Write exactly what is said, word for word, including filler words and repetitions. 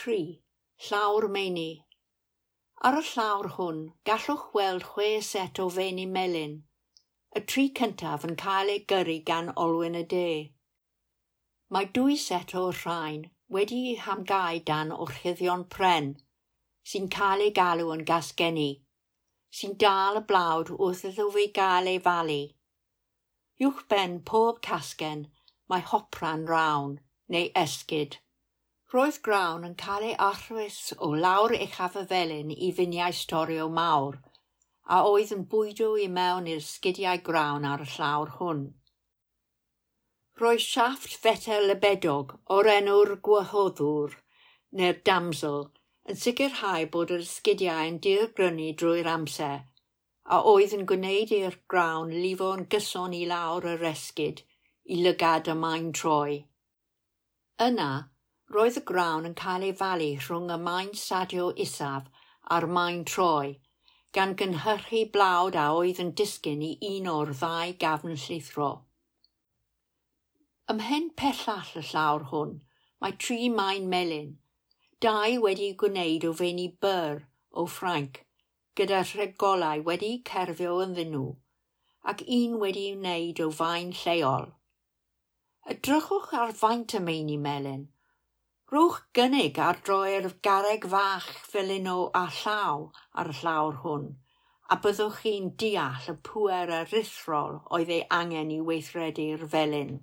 Tri, llawr meini. Ar y llawr hwn, gallwch weld chwe set o feini melyn, y tri cyntaf yn cael eu gyrru gan olwyn y de. Mae dwy set o'r rhain wedi'u hamgau dan orchuddion pren, sy'n cael eu galw yn gasgenni, sy'n dal y blawd wrth iddo fe gael ei falu. Uwchben pob casgen mae hopran rawn neu esgid. Roedd grawn yn cael ei arllwys o lawr uchaf y felin i finiau storio mawr, a oedd yn bwydo i mewn i'r sgidiau grawn ar y llawr hwn. Roedd siafft fetel lebedog o'r enw'r gwahoddwr neu'r damsel yn sicrhau bod yr esgidiau yn dirgrynu drwy'r amser, a oedd yn gwneud i'r grawn lifo'n gyson i lawr yr esgid i lygad y maen troi. Yna, roedd y grawn yn cael ei falu rhwng y maen sadio isaf a'r maen troi, gan gynhyrchu blawd a oedd yn disgyn i un o'r ddau gafn llithro. Ymhen pellach y llawr hwn, mae tri maen melyn, dau wedi'u gwneud o feini byr o Ffrainc, gyda rhegolau wedi'u cerfio ynddyn nhw, ac un wedi'i wneud o faen lleol. Edrychwch ar faint y meini melyn. Rhowch gynnig ar droi'r garreg fach felyn o â llaw ar y llawr hwn, a byddwch chi'n deall y pŵer aruthrol oedd ei angen i weithredu'r felin.